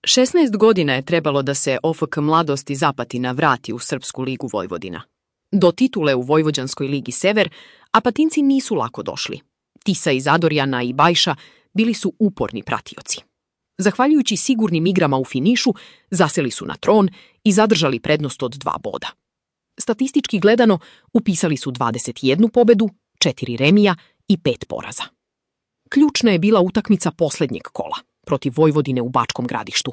16 godina je trebalo da se OFK Mladost iz Apatina vrati u Srpsku ligu Vojvodina. Do titule u Vojvođanskoj ligi Sever Apatinci nisu lako došli. Tisa iz Adorjana i Bajša bili su uporni pratioci. Zahvaljujući sigurnim igrama u finišu, zaseli su na tron i zadržali prednost od 2 boda. Statistički gledano, upisali su 21 pobedu, 4 remija i 5 poraza. Ključna je bila utakmica poslednjeg kola protiv Vojvodine u Bačkom Gradištu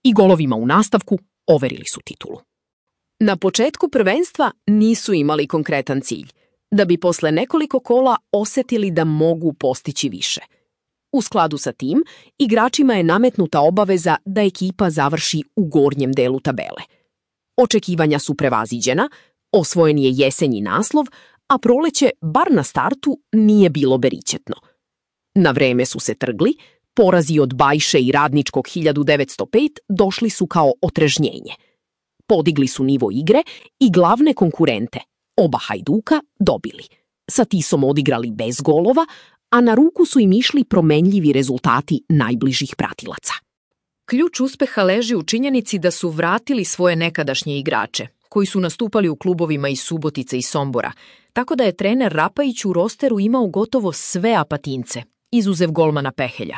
i golovima u nastavku overili su titulu. Na početku prvenstva nisu imali konkretan cilj, da bi posle nekoliko kola osetili da mogu postići više. U skladu sa tim, igračima je nametnuta obaveza da ekipa završi u gornjem delu tabele. Očekivanja su prevaziđena, osvojen je jesenji naslov, a proleće, bar na startu, nije bilo beričetno. Na vreme su se trgli, porazi od Bajše i Radničkog 1905 došli su kao otrežnjenje. Podigli su nivo igre i glavne konkurente, oba Hajduka, dobili. Sa Tisom odigrali bez golova, a na ruku su im išli promenljivi rezultati najbližih pratilaca. Ključ uspeha leži u činjenici da su vratili svoje nekadašnje igrače, koji su nastupali u klubovima iz Subotice i Sombora, tako da je trener Rapajić u rosteru imao gotovo sve Apatince, izuzev golmana Pehelja.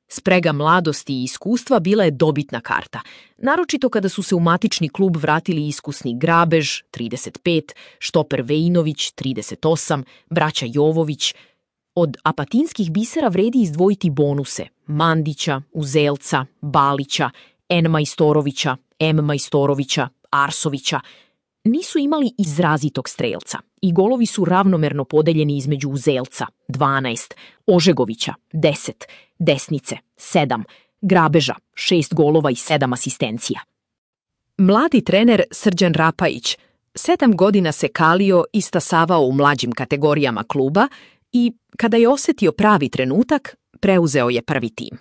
Sprega mladosti i iskustva bila je dobitna karta, naročito kada su se u matični klub vratili iskusni Grabež, 35, štoper Vejinović, 38, braća Jovović. Od apatinskih bisera vredi izdvojiti bonuse Mandića, Uzelca, Balića, N. Majstorovića, M. Majstorovića, Arsovića. Nisu imali izrazitog strelca i golovi su ravnomerno podeljeni između Uzelca, 12, Ožegovića, 10, Desnice, 7, Grabeža, 6 golova i 7 asistencija. Mladi trener Srđan Rapajić 7 godina se kalio i stasavao u mlađim kategorijama kluba i, kada je osetio pravi trenutak, preuzeo je prvi tim.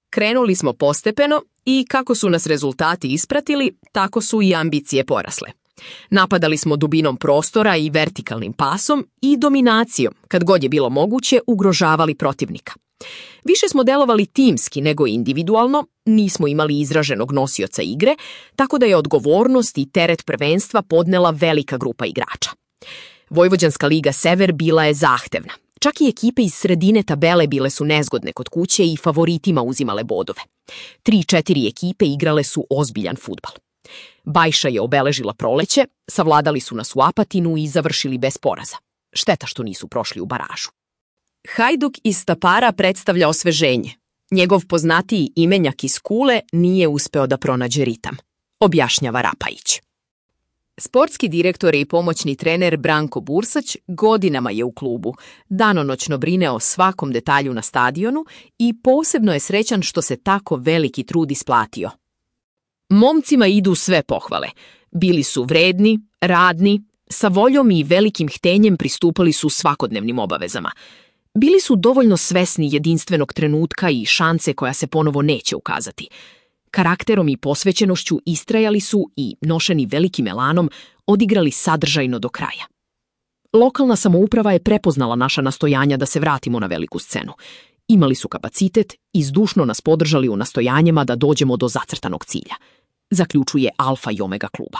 Krenuli smo postepeno i kako su nas rezultati ispratili, tako su i ambicije porasle. Napadali smo dubinom prostora i vertikalnim pasom i dominacijom, kad god je bilo moguće, ugrožavali protivnika. Više smo delovali timski nego individualno, nismo imali izraženog nosioca igre, tako da je odgovornost i teret prvenstva podnela velika grupa igrača. Vojvođanska liga Sever bila je zahtevna. Čak i ekipe iz sredine tabele bile su nezgodne kod kuće i favoritima uzimale bodove. 3-4 ekipe igrale su ozbiljan fudbal. Bajša je obeležila proleće, savladali su nas u Apatinu i završili bez poraza. Šteta što nisu prošli u baražu. Hajduk iz Tapara predstavlja osveženje. Njegov poznatiji imenjak iz Kule nije uspeo da pronađe ritam, objašnjava Rapajić. Sportski direktor i pomoćni trener Branko Bursać godinama je u klubu, danonoćno brine o svakom detalju na stadionu i posebno je srećan što se tako veliki trud isplatio. Momcima idu sve pohvale. Bili su vredni, radni, sa voljom i velikim htenjem pristupali su svakodnevnim obavezama. Bili su dovoljno svesni jedinstvenog trenutka i šanse koja se ponovo neće ukazati. Karakterom i posvećenošću istrajali su i, nošeni velikim elanom, odigrali sadržajno do kraja. Lokalna samouprava je prepoznala naša nastojanja da se vratimo na veliku scenu. Imali su kapacitet i zdušno nas podržali u nastojanjima da dođemo do zacrtanog cilja, zaključuje Alfa i Omega kluba.